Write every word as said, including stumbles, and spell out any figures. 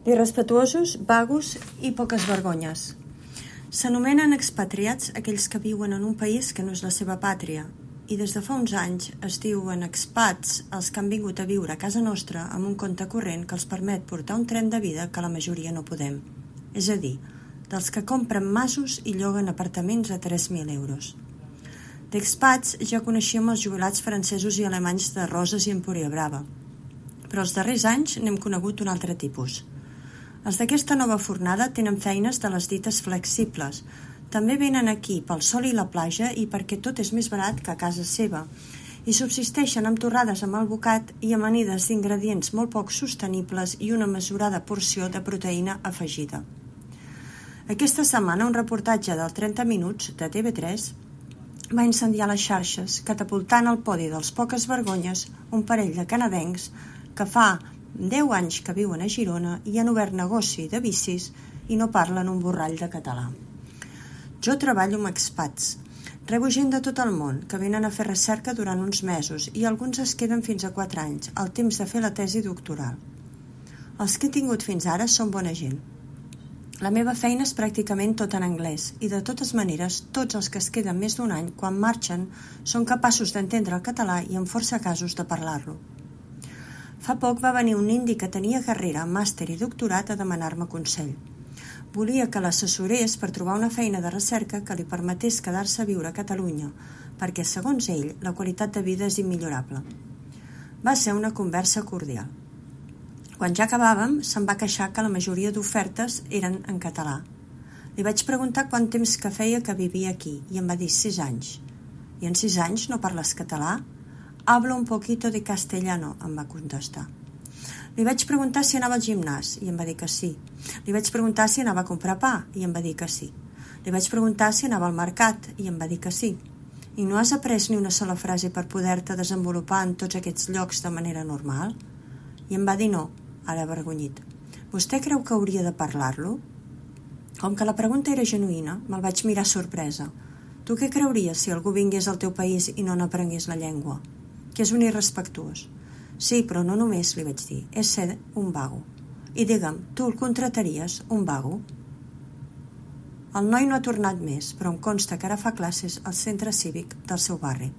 Irrespetuosos, vagos i poques vergonyes. S'anomenen expatriats aquells que viuen en un país que no és la seva pàtria, i des de fa uns anys es diuen expats els que han vingut a viure a casa nostra amb un compte corrent que els permet portar un tren de vida que la majoria no podem. És a dir, dels que compren masos i lloguen apartaments a tres mil euros. D'expats ja coneixíem els jubilats francesos i alemanys de Roses i Empúria Brava, però els darrers anys n'hem conegut un altre tipus. Els d'aquesta nova fornada tenen feines de les dites flexibles. També venen aquí pel sol i la platja i perquè tot és més barat que a casa seva i subsisteixen amb torrades amb alvocat i amanides d'ingredients molt poc sostenibles i una mesurada porció de proteïna afegida. Aquesta setmana un reportatge del trenta minuts de T V tres va incendiar les xarxes, catapultant al podi dels poques vergonyes un parell de canadencs que fa deu anys que viuen a Girona i han obert negoci de bicis i no parlen un borrall de català. Jo treballo amb expats. Rebo gent de tot el món que venen a fer recerca durant uns mesos i alguns es queden fins a quatre anys, el temps de fer la tesi doctoral. Els que he tingut fins ara són bona gent. La meva feina és pràcticament tot en anglès i de totes maneres tots els que es queden més d'un any quan marxen són capaços d'entendre el català i en força casos de parlar-lo. Fa poc va venir un indi que tenia carrera, màster i doctorat a demanar-me consell. Volia que l'assessorés per trobar una feina de recerca que li permetés quedar-se a viure a Catalunya, perquè, segons ell, la qualitat de vida és immillorable. Va ser una conversa cordial. Quan ja acabàvem, se'm va queixar que la majoria d'ofertes eren en català. Li vaig preguntar quant temps que feia que vivia aquí i em va dir sis anys. I en sis anys no parles català? Hablo un poquito de castellano, em va contestar. Li vaig preguntar si anava al gimnàs i em va dir que sí. Li vaig preguntar si anava a comprar pa i em va dir que sí. Li vaig preguntar si anava al mercat i em va dir que sí. I no has après ni una sola frase per poder-te desenvolupar en tots aquests llocs de manera normal? I em va dir no, ara avergonyit. Vostè creu que hauria de parlar-lo? Com que la pregunta era genuïna, me'l vaig mirar sorpresa. Tu què creuries si algú vingués al teu país i no n'aprengués la llengua? Que és un irrespectuós. Sí, però no només, li vaig dir, és ser un vago. I digue'm, tu el contrataries, un vago? El noi no ha tornat més, però em consta que ara fa classes al centre cívic del seu barri.